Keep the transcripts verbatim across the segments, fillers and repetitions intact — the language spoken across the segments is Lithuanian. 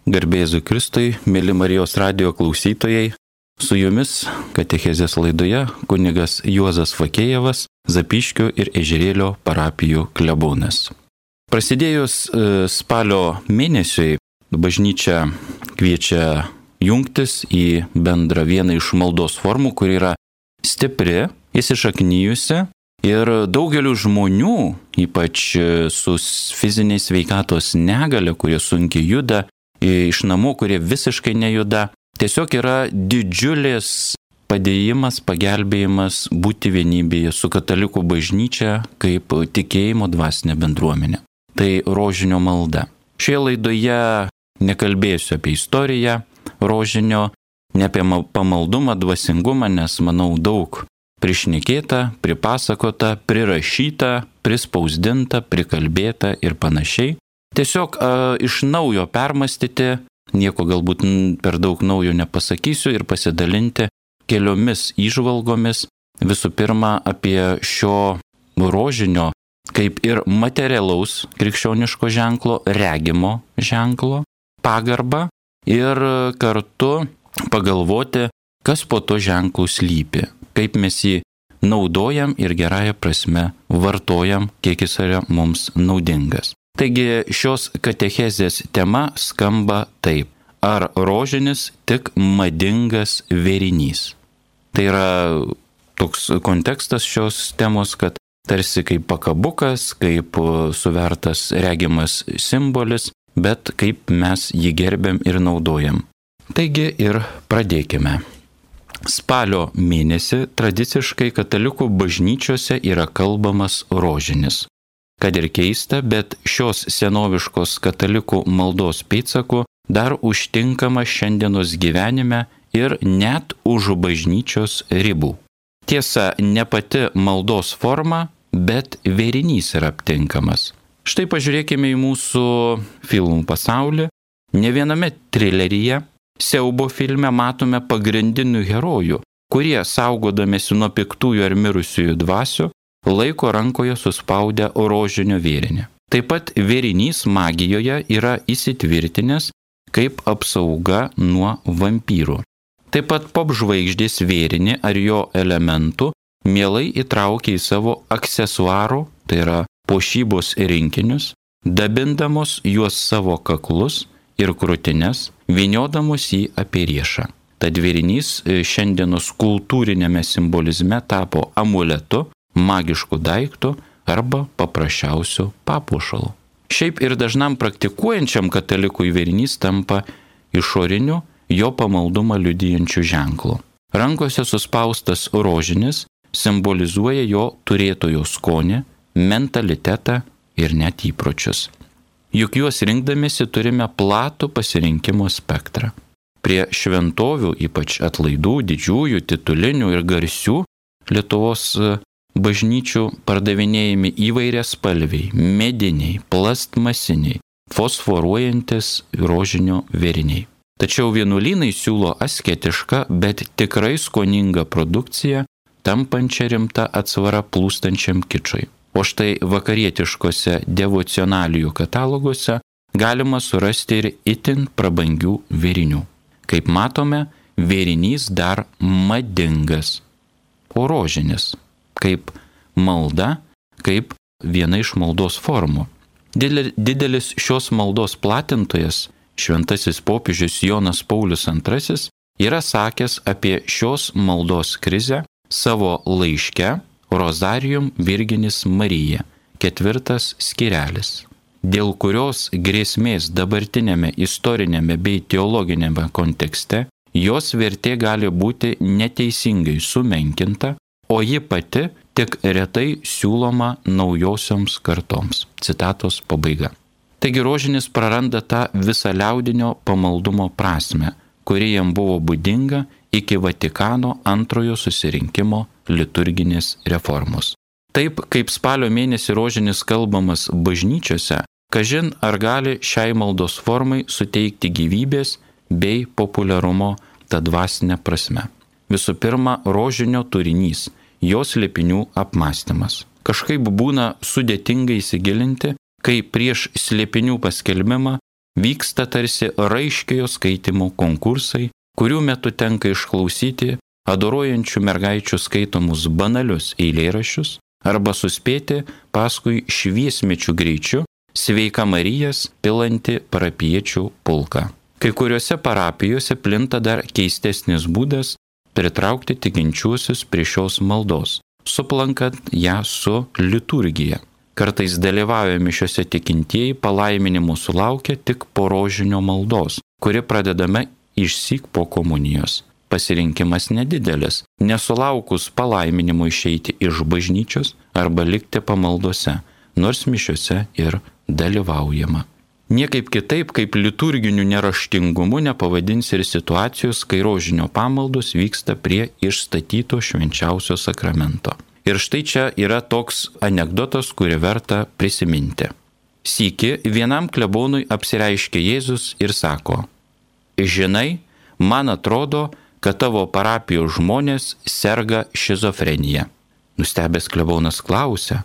Garbėzui Kristui, mėly Marijos radijo klausytojai, su jumis katechezės laidoje kunigas Juozas Fakėjevas, Zapyškio ir Ežerėlio parapijų klebonas. Prasidėjus spalio mėnesiui, bažnyčia kviečia jungtis į bendrą vieną iš maldos formų, kuri yra stipri, įsišaknyjusi ir daugeliu žmonių, ypač su fiziniais sveikatos negale, kurie sunkiai juda, iš namų, kurie visiškai nejuda, tiesiog yra didžiulis padėjimas, pagelbėjimas būti vienybėje su katalikų bažnyčia kaip tikėjimo dvasinė bendruomenė. Tai rožinio malda. Šioje laidoje nekalbėsiu apie istoriją rožinio, ne apie pamaldumą, dvasingumą, nes manau daug prišnekėta, pripasakota, prirašyta, prispausdinta, prikalbėta ir panašiai. Tiesiog a, iš naujo permastyti, nieko galbūt per daug naujo nepasakysiu ir pasidalinti keliomis įžvalgomis, visų pirma apie šio rožinio kaip ir materialaus krikščioniško ženklo, regimo ženklo, pagarbą ir kartu pagalvoti, kas po to ženklų slypi, kaip mes jį naudojam ir gerąją prasme vartojam, kiek jis yra mums naudingas. Taigi šios katechezės tema skamba taip. Ar rožinis tik madingas vėrinys? Tai yra toks kontekstas šios temos, kad tarsi kaip pakabukas, kaip suvertas regimas simbolis, bet kaip mes jį gerbiam ir naudojam. Taigi ir pradėkime. Spalio mėnesį tradiciškai katalikų bažnyčiose yra kalbamas rožinis. Kad ir keista, bet šios senoviškos katalikų maldos pėdsakų dar užtinkama šiandienos gyvenime ir net už bažnyčios ribų. Tiesa, ne pati maldos forma, bet vėrinys yra aptinkamas. Štai pažiūrėkime į mūsų filmų pasaulį. Ne viename trileryje, siaubo filme matome pagrindinių herojų, kurie saugodamiesi nuo piktųjų ar mirusiųjų dvasių, laiko rankoje suspaudę rožinio vėrinį. Taip pat vėrinys magijoje yra įsitvirtinęs kaip apsauga nuo vampyrų. Taip pat popžvaigždės vėrinį ar jo elementų mielai įtraukia į savo aksesuarų, tai yra puošybos rinkinius, dabindamos juos savo kaklus ir krūtines, vyniodamos jį apie riešą. Tad vėrinys šiandienos kultūrinėme simbolizme tapo amuletu, magiškų daiktų arba paprasčiausių papuošalų. Šiaip ir dažnam praktikuojančiam katalikui vėrinys tampa išoriniu jo pamaldumą liudijančiu ženklu. Rankose suspaustas rožinis simbolizuoja jo turėtojo skonį, mentalitetą ir net įpročius. Juk juos rinkdamėsi turime platų pasirinkimo spektrą. Prie šventovių, ypač atlaidų, didžiųjų, titulinių ir garsių Lietuvos bažnyčių pardavinėjami įvairias spalviai, mediniai, plastmasiniai, fosforuojantis rožinio vėriniai. Tačiau vienuolynai siūlo asketišką, bet tikrai skoningą produkciją, tampančią rimtą atsvarą plūstančiam kičui. O štai vakarietiškose devocionalijų kataloguose galima surasti ir itin prabangių vėrinių. Kaip matome, vėrinys dar madingas, o rožinis kaip malda, kaip viena iš maldos formų. Didelis šios maldos platintojas, šventasis popiežius Jonas Paulius antrasis, yra sakęs apie šios maldos krizę savo laiške Rozarium Virginis Marija, ketvirtas skirelis, dėl kurios grėsmės dabartinėme istorinėme bei teologinėme kontekste jos vertė gali būti neteisingai sumenkinta, o ji pati tik retai siūloma naujosioms kartoms. Citatos pabaiga. Taigi rožinis praranda tą visą liaudinio pamaldumo prasmę, kuri jam buvo būdinga iki Vatikano antrojo susirinkimo liturginės reformos. Taip kaip spalio mėnesį rožinis kalbamas bažnyčiose, kažin ar gali šiai maldos formai suteikti gyvybės bei populiarumo tą dvasinę prasme. Visų pirma, rožinio turinys, jos slėpinių apmąstymas. Kažkaip būna sudėtinga įsigilinti, kai prieš slėpinių paskelbimą vyksta tarsi raiškiojo skaitimo konkursai, kurių metu tenka išklausyti adoruojančių mergaičių skaitomus banalius eilėraščius arba suspėti paskui šviesmečių greičiu Sveika Marijas pilanti parapiečių pulką. Kai kuriuose parapijose plinta dar keistesnis būdas pritraukti tikinčiuosius prie šios maldos, suplankant ją su liturgija. Kartais dalyvauja mišiose tikintieji palaiminimų sulaukia tik po rožinio maldos, kuri pradedame išsyk po komunijos. Pasirinkimas nedidelis, nesulaukus palaiminimo išeiti iš bažnyčios arba likti pamaldose, nors mišiose ir dalyvaujama. Niekaip kitaip kaip liturginiu neraštingumu nepavadins ir situacijos, kai rožinio pamaldos vyksta prie išstatyto švenčiausio sakramento. Ir štai čia yra toks anekdotas, kurį verta prisiminti. Sykį vienam klebonui apsireiškė Jėzus ir sako: žinai, man atrodo, kad tavo parapijos žmonės serga šizofrenija. Nustebęs klebonas klausia: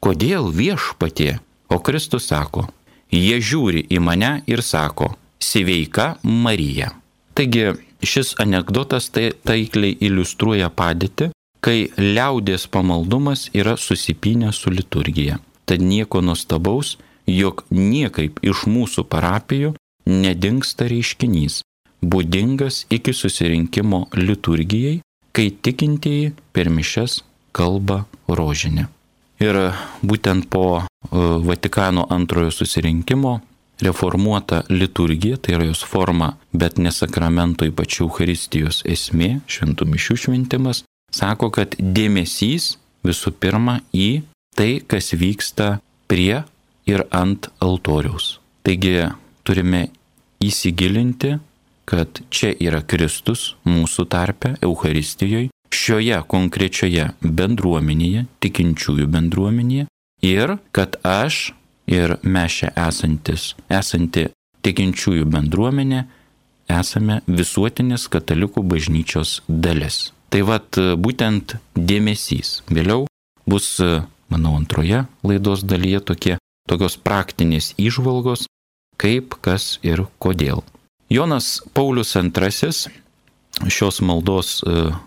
kodėl viešpatie? O Kristus sako: jie žiūri į mane ir sako: Sveika Marija. Taigi šis anekdotas tai taikliai iliustruoja padėtį, kai liaudies pamaldumas yra susipynęs su liturgija. Tad nieko nuostabaus, jog niekaip iš mūsų parapijų nedingsta reiškinys, būdingas iki susirinkimo liturgijai, kai tikintieji per mišias kalba rožinį. Ir būtent po Vatikano antrojo susirinkimo reformuota liturgija, tai yra jos forma, bet ne sakramento, ypač Eucharistijos esmė, šventų mišių šventimas, sako, kad dėmesys visų pirma į tai, kas vyksta prie ir ant altoriaus. Taigi turime įsigilinti, kad čia yra Kristus mūsų tarpe, Eucharistijoje, šioje konkrečioje bendruomenėje, tikinčiųjų bendruomenėje, ir kad aš ir mes čia esantis, esanti tikinčiųjų bendruomenė, esame visuotinės katalikų bažnyčios dalis. Tai vat būtent dėmesys. Vėliau bus, manau, antroje laidos dalyje tokie, tokios praktinės įžvalgos, kaip, kas ir kodėl. Jonas Paulius antrasis, šios maldos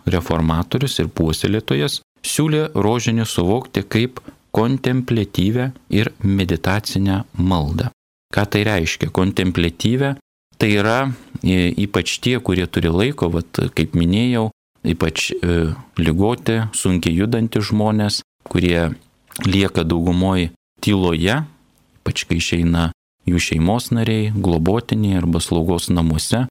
reformatorius ir puoselėtojas, siūlė rožinį suvokti kaip kontempliatyvę ir meditacinę maldą. Ką tai reiškia? Kontempliatyvę tai yra ypač tie, kurie turi laiko, vat, kaip minėjau, ypač e, ligoti, sunkiai judantys žmonės, kurie lieka daugumoj tyloje, ypač kai išeina jų šeimos nariai, globotiniai arba slaugos namuose,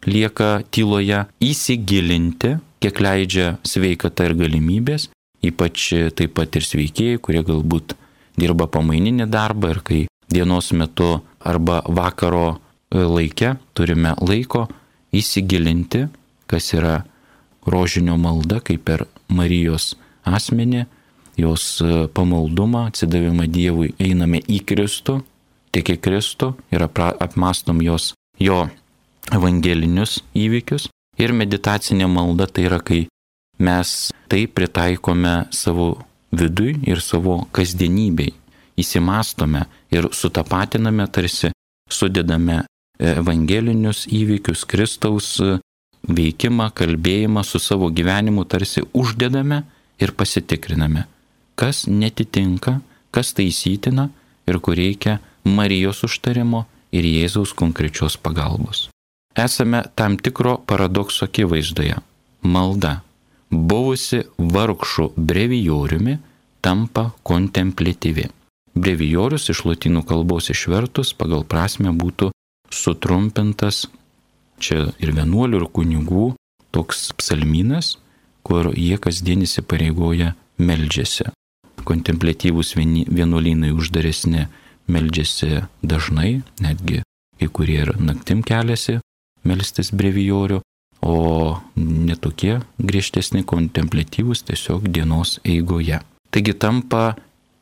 lieka tyloje, įsigilinti, kiek leidžia sveikata ir galimybės, ypač taip pat ir sveikieji, kurie galbūt dirba pamaininį darbą ir kai dienos metu arba vakaro laike turime laiko įsigilinti, kas yra rožinio malda, kaip per Marijos asmenį, jos pamaldumą, atsidavimą Dievui, einame į Kristų, tik į Kristų ir apmastom jos, jo evangelinius įvykius. Ir meditacinė malda tai yra, kai mes tai pritaikome savo vidui ir savo kasdienybei, įsimastome ir sutapatiname, tarsi sudedame evangelinius įvykius, Kristaus veikimą, kalbėjimą su savo gyvenimu, tarsi uždedame ir pasitikriname, kas netitinka, kas taisytina ir kur reikia Marijos užtarimo ir Jėzaus konkrečios pagalbos. Esame tam tikro paradokso akivaizdoje. Malda, buvusi vargšų brevijoriumi, tampa kontempliatyvi. Brevijorius iš lotynų kalbos išvertus pagal prasmę būtų sutrumpintas, čia ir vienuolių, ir kunigų, toks psalmynas, kur jie kasdien įsipareigoja meldžiasi. Kontempliatyvūs vienuolynai uždaresni meldžiasi dažnai, netgi kai kurie ir naktim keliasi melstis brevijorių, o netokie griežtesni kontempliatyvūs tiesiog dienos eigoje. Taigi tampa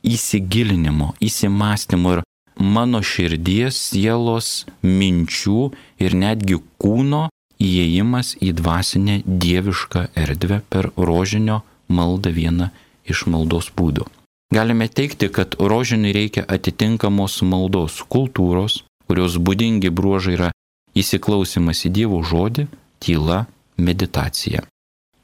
įsigilinimo, įsimastymo ir mano širdies, sielos, minčių ir netgi kūno įėjimas į dvasinę dievišką erdvę per rožinio maldą, vieną iš maldos būdų. Galime teigti, kad rožiniui reikia atitinkamos maldos kultūros, kurios būdingi bruožai yra įsiklausimas į Dievo žodį, tyla, meditacija.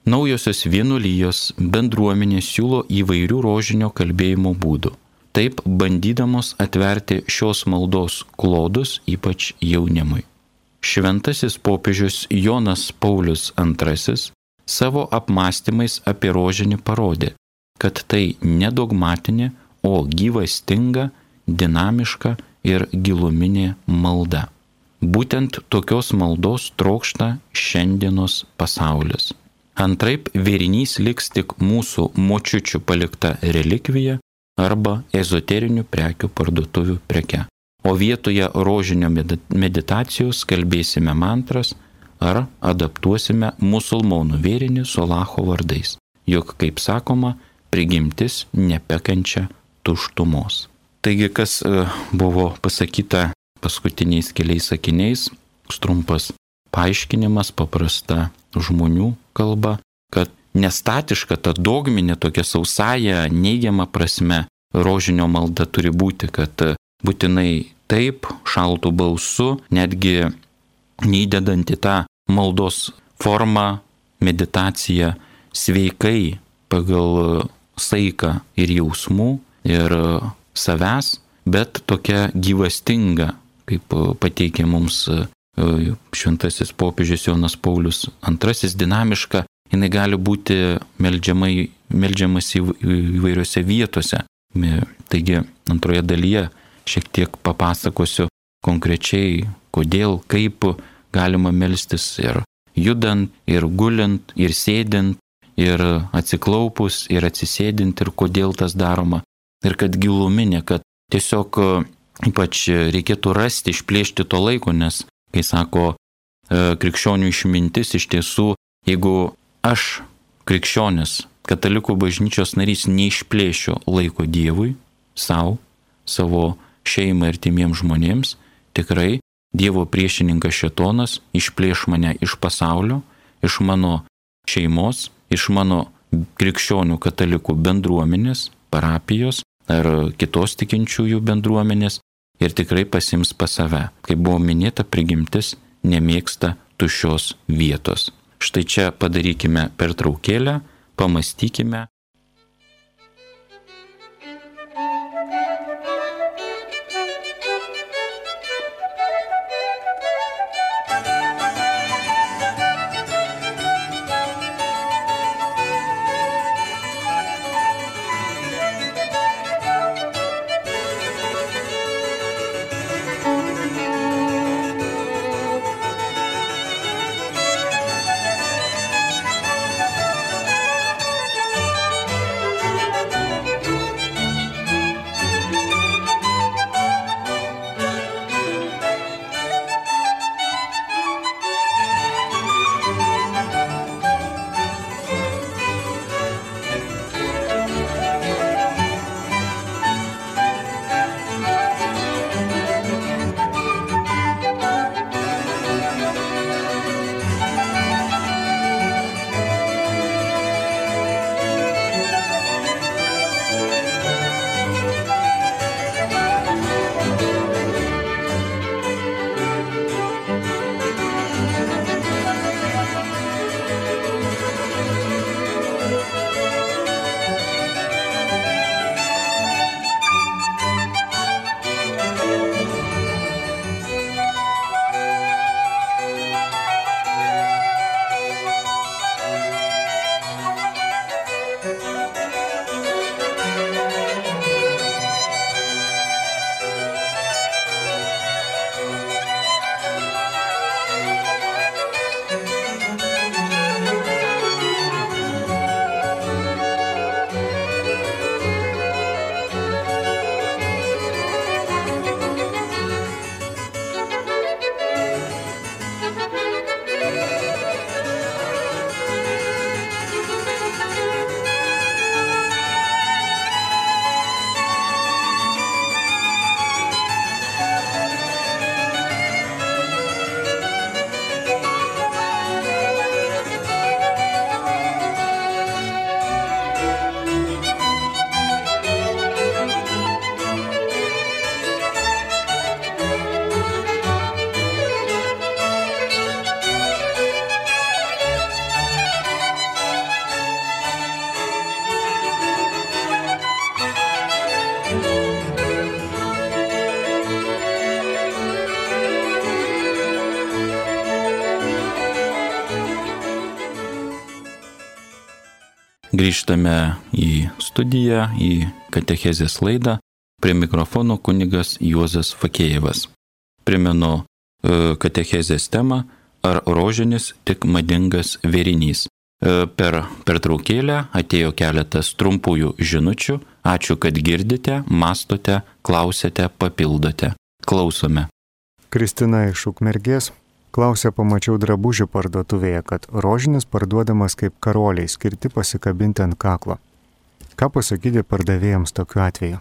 Naujosios vienuolijos bendruomenės siūlo įvairių rožinio kalbėjimo būdų, taip bandydamos atverti šios maldos klodus ypač jaunimui. Šventasis popiežius Jonas Paulius antrasis savo apmąstymais apie rožinį parodė, kad tai ne dogmatinė, o gyvastinga, dinamiška ir giluminė malda. Būtent tokios maldos trokšta šiandienos pasaulis. Antraip vėrinys liks tik mūsų močiučių palikta relikvija arba ezoterinių prekių parduotuvių preke. O vietoje rožinio meditacijos kalbėsime mantras ar adaptuosime musulmonų vėrinį su Alacho vardais. Juk, kaip sakoma, prigimtis nepekančia tuštumos. Taigi, kas buvo pasakyta paskutiniais keliais sakiniais, trumpas paaiškinimas, paprasta žmonių kalba, kad nestatiška, ta dogminė tokia sausaja, neigiama prasme rožinio malda turi būti, kad būtinai taip, šaltų balsu, netgi neįdedant į tą maldos formą, meditaciją, sveikai pagal saiką ir jausmų ir savęs, bet tokia gyvastinga, kaip pateikė mums šventasis popiežius Jonas Paulius antrasis, dinamiška, jinai gali būti meldžiamai, meldžiamas įvairiose vietose. Taigi antroje dalyje šiek tiek papasakosiu konkrečiai, kodėl, kaip galima melstis ir judant, ir gulint, ir sėdint, ir atsiklaupus, ir atsisėdint, ir kodėl tas daroma. Ir kad giluminė, kad tiesiog ypač reikėtų rasti, išplėšti to laiko, nes, kai sako krikščionių išmintis, iš tiesų, jeigu aš, krikščionis, katalikų bažnyčios narys, neišplėšiu laiko Dievui, savo, savo šeimai ir timiems žmonėms, tikrai Dievo priešininkas šėtonas išplėš mane iš pasaulio, iš mano šeimos, iš mano krikščionių katalikų bendruomenės, parapijos ar kitos tikinčiųjų bendruomenės ir tikrai pasims pas save. Kaip buvo minėta, prigimtis nemėgsta tuščios vietos. Štai čia padarykime pertraukėlę, pamastykime. Grįžtame į studiją, į katechezės laidą. Prie mikrofono kunigas Juozas Fakėjevas. Primenu katechezės temą: ar rožinis tik madingas vėrinys. Per pertraukėlę atėjo keletas trumpųjų žinučių. Ačiū, kad girdite, mastote, klausėte, papildote. Klausome. Kristina iš Ukmergės klausė: pamačiau drabužių parduotuvėje, kad rožinis parduodamas kaip karoliai, skirti pasikabinti ant kaklo. Ką pasakyti pardavėjams tokiu atveju?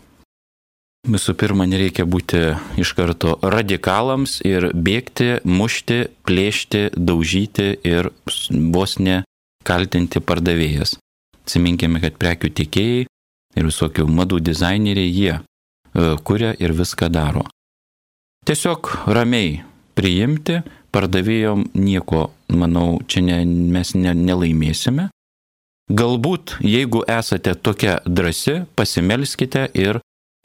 Visų pirma, nereikia būti iš karto radikalams ir bėgti, mušti, plėšti, daužyti ir vos ne kaltinti pardavėjas. Atsiminkime, kad prekių tiekėjai ir visokių madų dizaineriai, jie e, kuria ir viską daro. Tiesiog ramiai priimti, pardavėjom nieko, manau, čia ne, mes ne, nelaimėsime. Galbūt, jeigu esate tokia drąsi, pasimelskite ir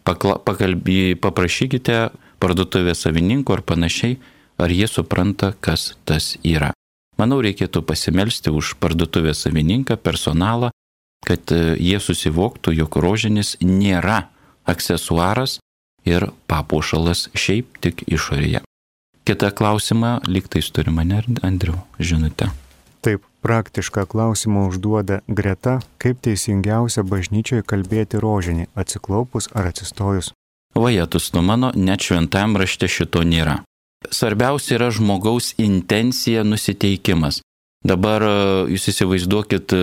pakla, pakalbį, paprašykite parduotuvės savininko ar panašiai, ar jie supranta, kas tas yra. Manau, reikėtų pasimelsti už parduotuvės savininką, personalą, kad jie susivoktų, jog rožinis nėra aksesuaras ir papuošalas šiaip tik išorėje. Kita klausimą, lyg tais turime, ne, Andriau, žinutę. Taip, praktišką klausimą užduoda Greta: kaip teisingiausia bažnyčioje kalbėti rožinį, atsiklaupus ar atsistojus? Vajetus tu mano, net šventajam rašte šito nėra. Svarbiausia yra žmogaus intencija, nusiteikimas. Dabar jūs įsivaizduokit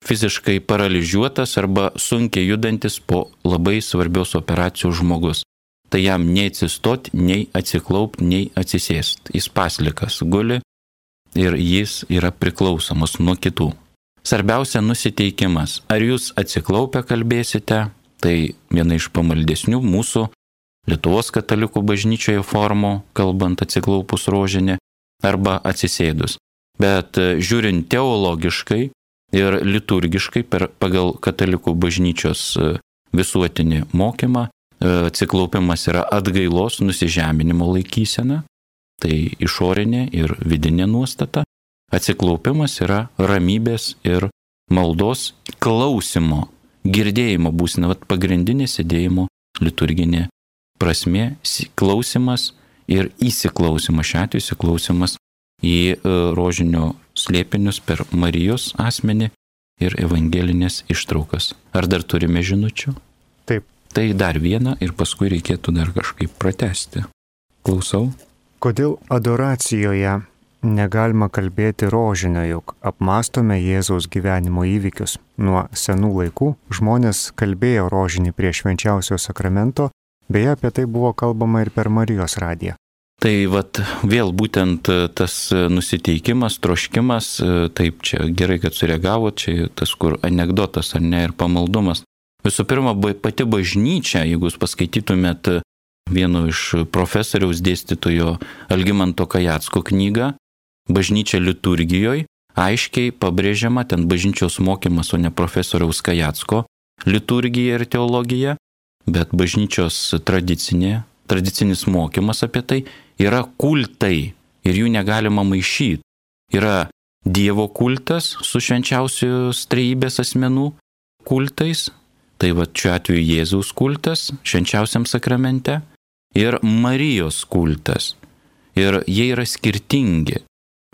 fiziškai paralyžiuotas arba sunkiai judantis po labai svarbios operacijos žmogus. Tai jam nei atsistot, nei atsiklaupt, nei atsisėst. Jis paslikas guli ir jis yra priklausomas nuo kitų. Svarbiausia nusiteikimas. Ar jūs atsiklaupę kalbėsite, tai viena iš pamaldesnių mūsų Lietuvos katalikų bažnyčioje formų, kalbant atsiklaupus rožinį, arba atsisėdus. Bet žiūrint teologiškai ir liturgiškai per, pagal katalikų bažnyčios visuotinį mokymą, atsiklaupimas yra atgailos, nusižeminimo laikysena, tai išorinė ir vidinė nuostata. Atsiklaupimas yra ramybės ir maldos klausimo, girdėjimo būsena, vat pagrindinė sėdėjimo liturginė prasmė, klausimas ir įsiklausimas, šiuo atveju įsiklausimas į rožinio slėpinius per Marijos asmenį ir evangelinės ištraukas. Ar dar turime žinučių? Taip. Tai dar vieną ir paskui reikėtų dar kažkaip pratesti. Klausau. Kodėl adoracijoje negalima kalbėti rožinio, juk apmastome Jėzaus gyvenimo įvykius? Nuo senų laikų žmonės kalbėjo rožinį prie švenčiausio sakramento, beje, apie tai buvo kalbama ir per Marijos radiją. Tai vat vėl būtent tas nusiteikimas, troškimas, taip čia gerai, kad sureagavo, čia tas kur anekdotas ar ne ir pamaldumas. Visų pirma, pati bažnyčia, jeigu jūs paskaitytumėt vieno iš profesoriaus dėstytojo Algimanto Kajacko knygą Bažnyčia liturgijoje, aiškiai pabrėžiama ten bažnyčios mokymas, o ne profesoriaus Kajacko liturgija ir teologija, bet bažnyčios tradicinė, tradicinis mokymas apie tai yra kultai ir jų negalima maišyti. Yra Dievo kultas su švenčiausios trejybės asmenų kultais, tai va šiuo atveju Jėzaus kultas švenčiausiam sakramente ir Marijos kultas. Ir jie yra skirtingi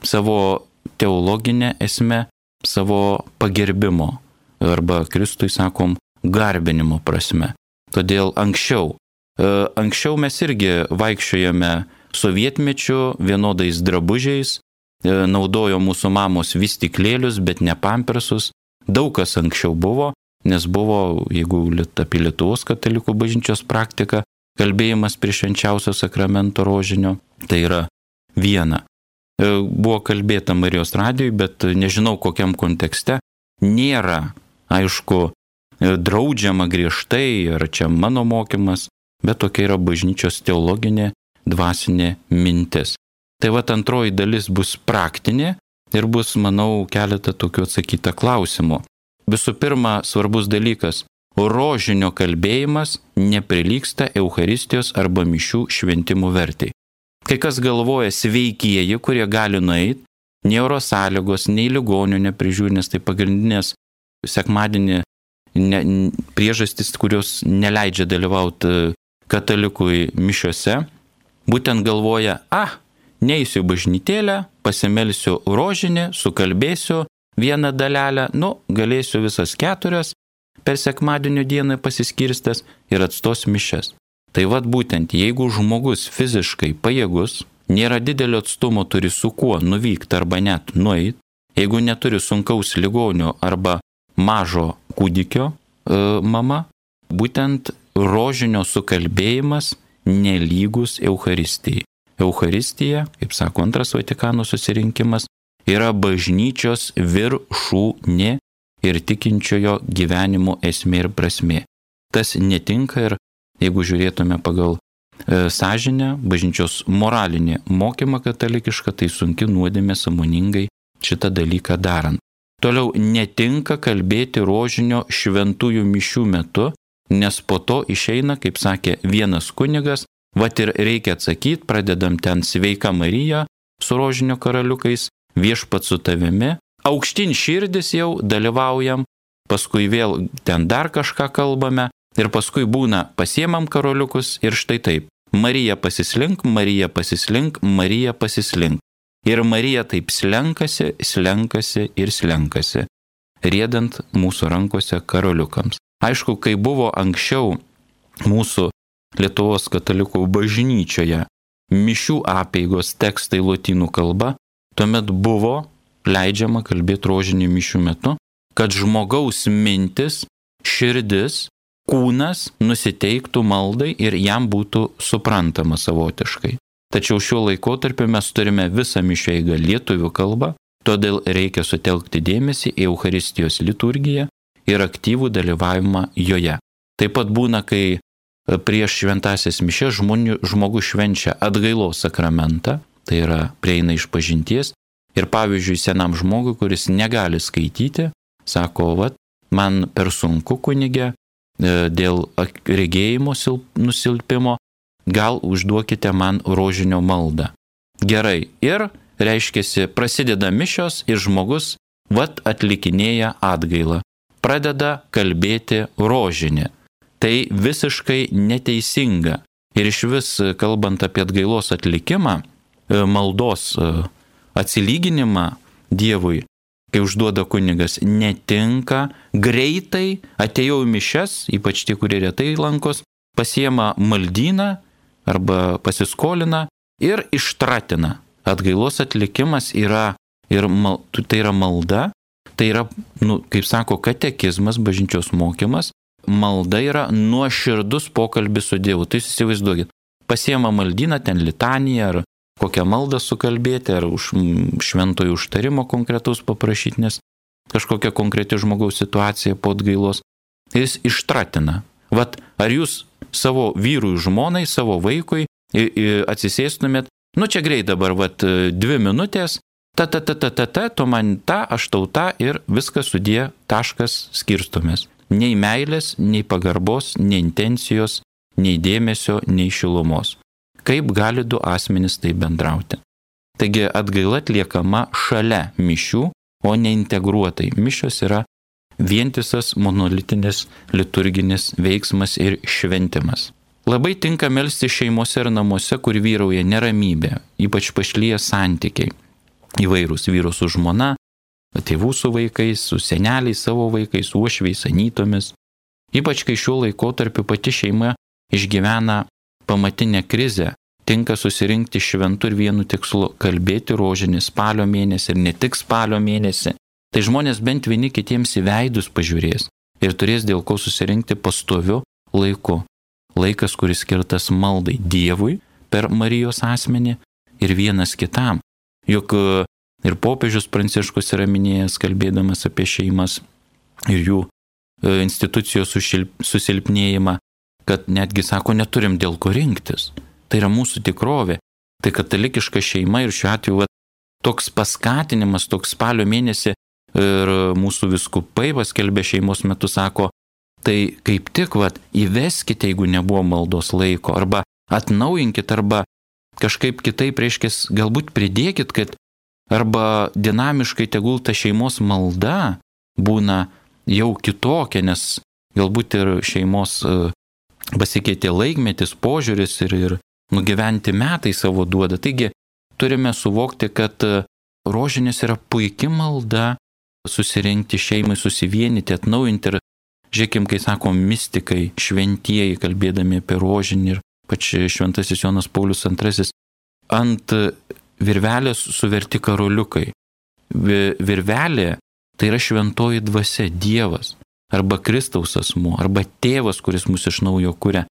savo teologinę esmę, savo pagerbimo arba Kristui sakom garbinimo prasme. Todėl anksčiau, anksčiau mes irgi vaikščiojame sovietmečiu vienodais drabužiais, naudojo mūsų mamos vystyklėlius, bet ne pampersus. Daug kas anksčiau buvo, nes buvo, jeigu apie Lietuvos katalikų bažnyčios praktiką, kalbėjimas prie švenčiausio sakramento rožinio, tai yra viena. Buvo kalbėta Marijos radijoje, bet nežinau kokiam kontekste, nėra, aišku, draudžiama griežtai, ar čia mano mokymas, bet tokia yra bažnyčios teologinė, dvasinė mintis. Tai vat antroji dalis bus praktinė ir bus, manau, keletą tokių atsakyta klausimų. Visų pirma, svarbus dalykas – rožinio kalbėjimas neprilygsta Eucharistijos arba mišių šventimų vertei. Kai kas galvoja sveikieji, kurie gali nueiti, nei oro sąlygos, nei ligonių neprižiūri, nes tai pagrindinės sekmadienį ne, priežastis, kurios neleidžia dalyvauti katalikui mišiose, būtent galvoja, ah, neįsiu bažnytėlę, pasimelsiu rožinį, sukalbėsiu vieną dalelę, nu, galėsiu visas keturias per sekmadienio dieną pasiskirstęs ir atstos mišias. Tai vad būtent, jeigu žmogus fiziškai pajėgus, nėra didelio atstumo, turi su kuo nuvykti arba net nueiti, jeigu neturi sunkaus ligonio arba mažo kūdikio e, mama, būtent rožinio sukalbėjimas nelygus Eucharistijai. Eucharistija, kaip sako Antras Vatikano susirinkimas, yra bažnyčios viršūnė ir tikinčiojo gyvenimo esmė ir prasmė. Tas netinka ir jeigu žiūrėtume pagal e, sąžinę, bažnyčios moralinį mokymą katalikišką, tai sunki nuodėmė sąmoningai šitą dalyką darant. Toliau netinka kalbėti rožinio šventųjų mišių metu, nes po to išeina, kaip sakė vienas kunigas, vat ir reikia atsakyti, pradedam ten Sveika Marija su rožinio karaliukais, Viešpat su tavimi, aukštin širdis jau dalyvaujam, paskui vėl ten dar kažką kalbame ir paskui būna pasiemam karaliukus ir štai taip, Marija pasislink, Marija pasislink, Marija pasislink. Ir Marija taip slenkasi, slenkasi ir slenkasi, riedant mūsų rankose karaliukams. Aišku, kai buvo anksčiau mūsų Lietuvos katalikų bažnyčioje mišių apeigos tekstai lotynų kalba, tuomet buvo leidžiama kalbėti rožinį mišių metu, kad žmogaus mintis, širdis, kūnas nusiteiktų maldai ir jam būtų suprantama savotiškai. Tačiau šiuo laikotarpiu mes turime visą mišių eigą lietuvių kalbą, todėl reikia sutelkti dėmesį į Eucharistijos liturgiją ir aktyvų dalyvavimą joje. Taip pat būna, kai prieš šventąsias mišias žmogus švenčia atgailos sakramentą, tai yra prieina išpažinties, ir pavyzdžiui senam žmogui, kuris negali skaityti, sako, vat, man per sunku kunige dėl regėjimo nusilpimo, gal užduokite man rožinio maldą. Gerai, ir reiškiasi prasideda mišios ir žmogus vat atlikinėja atgailą, pradeda kalbėti rožinį. Tai visiškai neteisinga. Ir iš vis, kalbant apie atgailos atlikimą, maldos atsilyginimą Dievui, kai užduoda kunigas, netinka greitai, atėjau į mišias, ypač tie, kurie retai lankos, pasiema maldyną arba pasiskolina ir ištratina. Atgailos atlikimas yra, ir mal, tai yra malda, tai yra, nu, kaip sako, katekizmas, bažnyčios mokymas, malda yra nuoširdus pokalbis su Dievu. Tai įsivaizduokit, pasiema maldyną, ten litaniją ar kokią maldą sukalbėti, ar už šventojo užtarimo konkretaus paprašyti, nes kažkokia konkreti žmogaus situacija po atgailos, jis ištratina. Vat, ar jūs savo vyrui, žmonai, savo vaikui atsisėstumėt, nu čia greit dabar, vat, dvi minutės, ta, ta, ta, ta, ta, ta, tu man ta, aš tau ta ir viskas sudė, taškas, skirstumės. Nei meilės, nei pagarbos, nei intencijos, nei dėmesio, nei šilumos. Kaip gali du asmenys tai bendrauti? Taigi atgaila atliekama šalia mišių, o ne integruotai. Mišios yra vientisas monolitinis liturginis veiksmas ir šventimas. Labai tinka melsti šeimose ir namuose, kur vyrauja neramybė, ypač pašlyja santykiai. Įvairūs vyru su žmona, tėvų su vaikais, su seneliais savo vaikais, uošviais, anytomis. Ypač kai šiuo laikotarpiu pati šeima išgyvena pamatinę krizę, tinka susirinkti šventų ir vienu tikslu kalbėti rožinį spalio mėnesį ir ne tik spalio mėnesį. Tai žmonės bent vieni kitiems į veidus pažiūrės ir turės dėl ko susirinkti pastoviu laiku. Laikas, kuris skirtas maldai Dievui per Marijos asmenį ir vienas kitam. Juk ir popiežius Pranciškus yra minėjęs, kalbėdamas apie šeimas ir jų institucijos susilpnėjimą, kad netgi sako, neturim dėl ko rinktis. Tai yra mūsų tikrovė. Tai katalikiška šeima ir šiuo atveju va, toks paskatinimas, toks spalio mėnesį ir mūsų vyskupai paskelbė šeimos metu sako, tai kaip tik va, įveskite, jeigu nebuvo maldos laiko, arba atnaujinkit, arba kažkaip kitaip reiškės, galbūt pridėkit, kad arba dinamiškai tegul ta šeimos malda būna jau kitokia, nes galbūt ir šeimos pasikeitė laikmetis, požiūris ir, ir nugyventi metai savo duoda. Taigi turime suvokti, kad rožinės yra puikia malda susirinkti šeimai, susivienyti, atnaujinti. Ir žiūrėkim, kai sakom mistikai, šventieji, kalbėdami apie rožinį, ir pač šventasis Jonas Paulius antrasis, ant virvelės suverti karoliukai. Virvelė tai yra šventoji dvasia, Dievas, arba Kristaus asmuo, arba tėvas, kuris mus iš naujo kuria.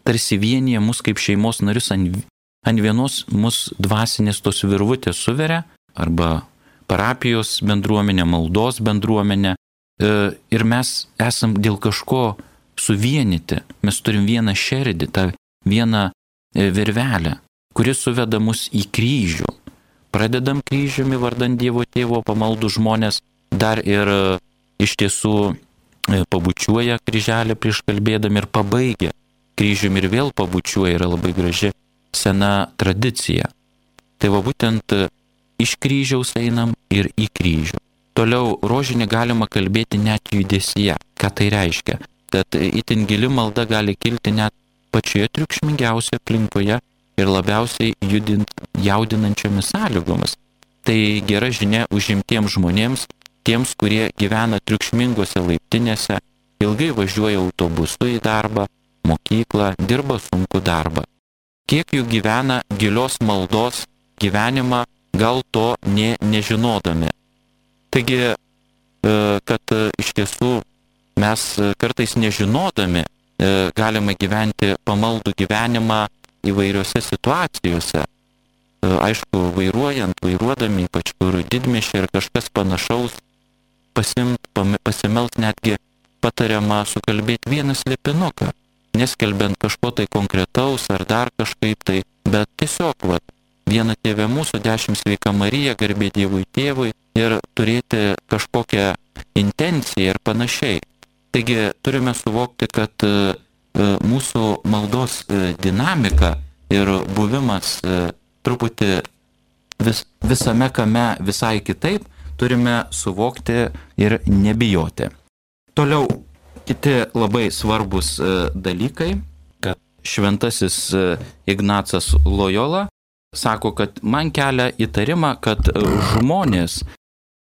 Tarsi vienyje mus kaip šeimos narius ant, ant vienos mus dvasinės tos virvutės suveria, arba parapijos bendruomenė, maldos bendruomenė. Ir mes esam dėl kažko suvienyti. Mes turim vieną šerdį, tą vieną virvelę, kuris suveda mus į kryžių. Pradedam kryžiumi vardant Dievo tėvo pamaldų žmonės, dar ir iš tiesų pabučiuoja kryželę prieš kalbėdami ir pabaigia kryžiumi ir vėl pabučiuoja, yra labai graži sena tradicija. Tai va būtent iš kryžiaus einam ir į kryžių. Toliau rožinį galima kalbėti net judesyje. Ką tai reiškia? Kad itin gili malda gali kilti net pačioje triukšmingiausioje aplinkoje ir labiausiai judint, jaudinančiomis sąlygomis. Tai gera žinia užimtiems žmonėms, tiems, kurie gyvena triukšmingose laiptinėse, ilgai važiuoja autobusu į darbą, mokyklą, dirba sunkų darbą. Kiek jų gyvena gilios maldos gyvenimą, gal to nė nežinodami. Taigi, kad iš tiesų mes kartais nežinodami galime gyventi pamaldų gyvenimą įvairiose situacijose. Aišku, vairuojant, vairuodami, ypač kur didmiesčiai ir kažkas panašaus, pasimt, pasimelt netgi patariama sukalbėti vieną slėpinuką, neskelbiant kažko tai konkretaus ar dar kažkaip tai, bet tiesiog, va, vieną Tėvę mūsų, dešimt Sveika Marija, garbė Dievui Tėvui ir turėti kažkokią intenciją ir panašiai. Taigi turime suvokti, kad mūsų maldos dinamika ir buvimas truputį vis, visame kame visai kitaip, turime suvokti ir nebijoti. Toliau kiti labai svarbus dalykai, kad šventasis Ignacas Lojola sako, kad man kelia įtarimą, kad žmonės,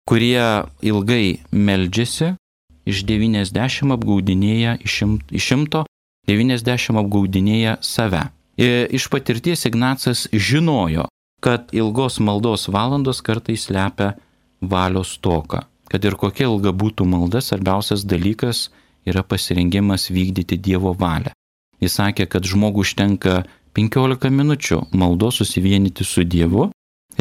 kurie ilgai meldžiasi, iš devyniasdešimt apgaudinėja, iš šimto devyniasdešimt apgaudinėja save. Iš patirties Ignacas žinojo, kad ilgos maldos valandos kartais slepia valios stoką. Kad ir kokia ilga būtų malda, svarbiausias dalykas yra pasirengimas vykdyti Dievo valią. Jis sakė, kad žmogui užtenka penkiolika minučių maldos susivienyti su Dievu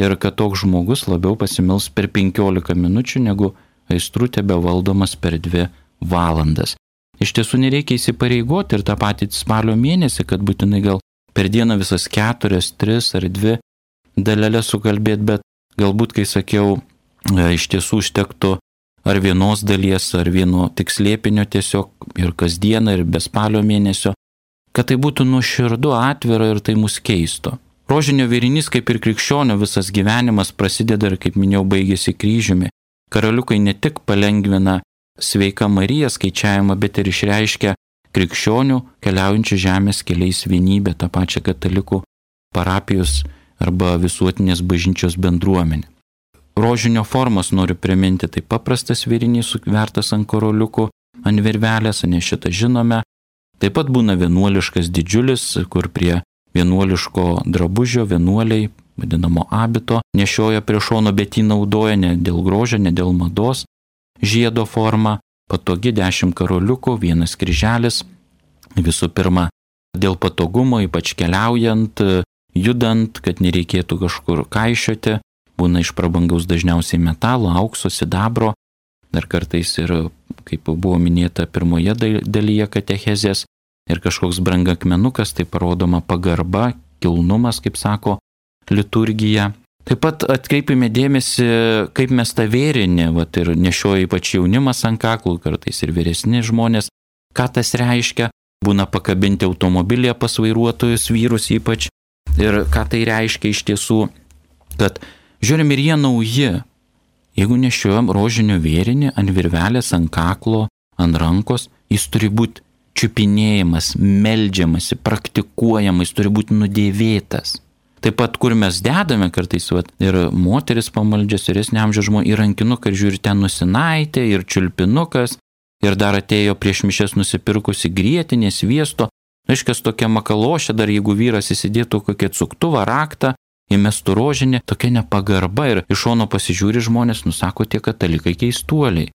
ir kad toks žmogus labiau pasimils per penkiolika minučių negu aistrų tebevaldomas per dvi valandas. Iš tiesų nereikia įsipareigoti ir tą patį spalio mėnesį, kad būtinai gal per dieną visas keturias, tris ar dvi dalelės sukalbėti, bet galbūt, kai sakiau, iš tiesų užtektų ar vienos dalies, ar vieno tik slėpinio tiesiog ir kasdieną, ir be spalio mėnesio, kad tai būtų nuoširdu, atvira ir tai mus keistų. Rožinio vėrinys, kaip ir krikščionio, visas gyvenimas prasideda ir, kaip minėjau, baigėsi kryžiumi. Karaliukai ne tik palengvina Sveika Marija skaičiavimą, bet ir išreiškia krikščionių keliaujančių žemės keliais vienybę, tą pačią katalikų parapijos arba visuotinės bažnyčios bendruomenę. Rožinio formas noriu priminti, tai paprastas vėrinys sukvertas ant karoliukų, ant virvelės, ne šitą žinome. Taip pat būna vienuoliškas didžiulis, kur prie vienuoliško drabužio vienuoliai, vadinamo abito, nešioja prie šono, bet jį naudoja ne dėl grožio, ne dėl mados. Žiedo forma, patogi dešimt karoliukų, vienas kryželis. Visų pirma, dėl patogumo, ypač keliaujant, judant, kad nereikėtų kažkur kaišioti, būna iš prabangaus dažniausiai metalo, aukso, sidabro, dar kartais ir, kaip buvo minėta pirmoje dalyje katechezės, ir kažkoks brangakmenukas, tai parodoma pagarba, kilnumas, kaip sako liturgija. Taip pat atkreipime dėmesį, kaip mes tą vėrinį, vat, ir nešioja ypač jaunimas ant kaklų, kartais ir vyresni žmonės, ką tas reiškia, būna pakabinti automobilėje pas vairuotojus, vyrus ypač, ir ką tai reiškia iš tiesų, kad žiūrim ir jie nauji, Jeigu nešiojam rožinio vėrinį ant virvelės, ant kaklo, ant rankos, jis turi būti čiupinėjimas, meldžiamasi, praktikuojamas, turi būti nudėvėtas. Taip pat, kur mes dedame kartais, vat, ir moteris pamaldžias, vyresnio amžiaus žmonės, ir rankinuką, ir žiūri, ten nusinaitė, ir čiulpinukas, ir dar atėjo prieš mišias nusipirkusi grietinės, sviesto, aiškias tokia makalošė, dar jeigu vyras įsidėtų kokią cuktuvą, raktą, įmestų rožinį, tokia nepagarba, ir iš šono pasižiūri žmonės, nusako tie katalikai keistuoliai.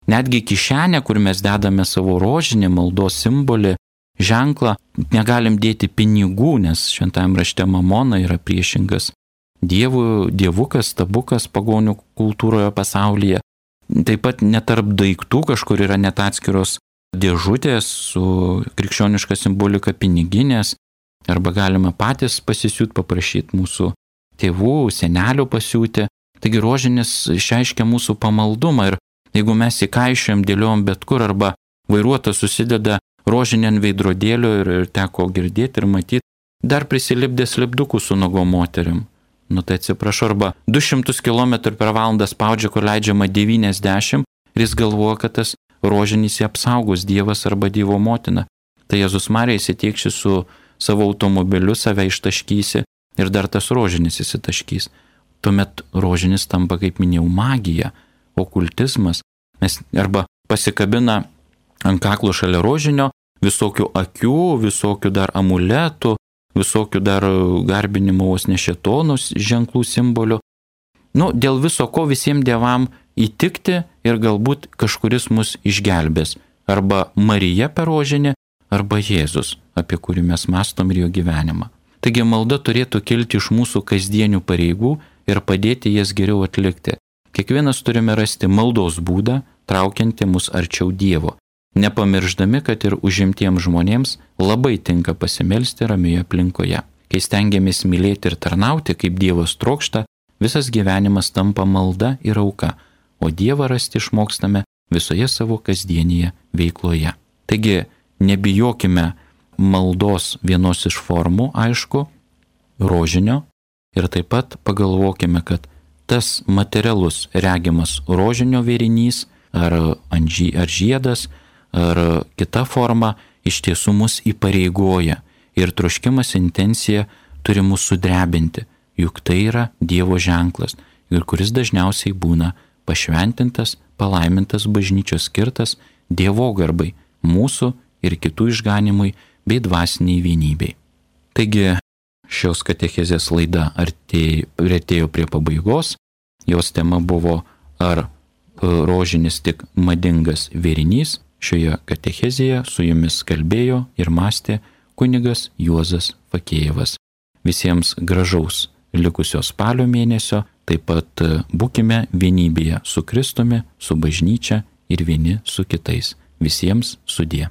Netgi kišenė, kur mes dedame savo rožinį, maldos simbolį, ženklą, negalim dėti pinigų, nes šventajam rašte mamona yra priešingas dievų, dievukas, stabukas pagonių kultūroje pasaulyje. Taip pat netarp daiktų kažkur yra net atskiros dėžutės su krikščioniška simbolika piniginės, arba galime patys pasisiūt, paprašyti mūsų tėvų, senelių pasiūti. Taigi rožinis išreiškia mūsų pamaldumą, ir jeigu mes įkaišėm, dėliojom bet kur, arba vairuotojas susideda rožinį ant veidrodėlio, ir, ir teko girdėti ir matyti, dar prisilipdė slipdukų su nuogom moterim. Nu tai atsiprašau, arba du šimtus kilometrų per valandą spaudžia, kur leidžiama devyniasdešimt, ir jis galvoja, kad tas rožinis jį apsaugos Dievas arba Dievo motina. Tai Jėzus Marija įsitiekši su savo automobiliu, save ištaškysi, ir dar tas rožinis įsitaškys. Tuomet rožinis tampa, kaip minėjau, magija, okultizmas. Mes arba pasikabina ant kaklo šalia rožinio visokių akių, visokių dar amuletų, visokių dar garbinimo vos ne šėtonus ženklų simbolių. Nu, dėl viso ko visiems dievam įtikti, ir galbūt kažkuris mus išgelbės. Arba Marija per rožinį, arba Jėzus, apie kurį mes mąstom ir jo gyvenimą. Taigi malda turėtų kilti iš mūsų kasdienių pareigų ir padėti jas geriau atlikti. Kiekvienas turime rasti maldos būdą, traukiantį mus arčiau Dievo, nepamirždami, kad ir užimtiems žmonėms labai tinka pasimelsti ramioje aplinkoje. Kai stengiamės mylėti ir tarnauti, kaip Dievas trokšta, visas gyvenimas tampa malda ir auka, o Dievą rasti išmokstame visoje savo kasdienėje veikloje. Taigi, nebijokime maldos vienos iš formų, aišku, rožinio, ir taip pat pagalvokime, kad tas materialus regimas rožinio vėrinys, ar, ar žiedas, ar kita forma iš tiesų mus įpareigoja, ir troškimas, intencija turi mus sudrebinti, juk tai yra Dievo ženklas, ir kuris dažniausiai būna pašventintas, palaimintas bažnyčios skirtas Dievo garbai, mūsų ir kitų išganimui bei dvasiniai vienybei. Taigi šios katechezės laida artėjo prie pabaigos. Jos tema buvo, ar rožinis tik madingas vėrinys. Šioje katechezėje su jumis kalbėjo ir mąstė kunigas Juozas Fakėjevas. Visiems gražaus likusio spalio mėnesio, taip pat būkime vienybėje su Kristumi, su bažnyčia ir vieni su kitais. Visiems sudie.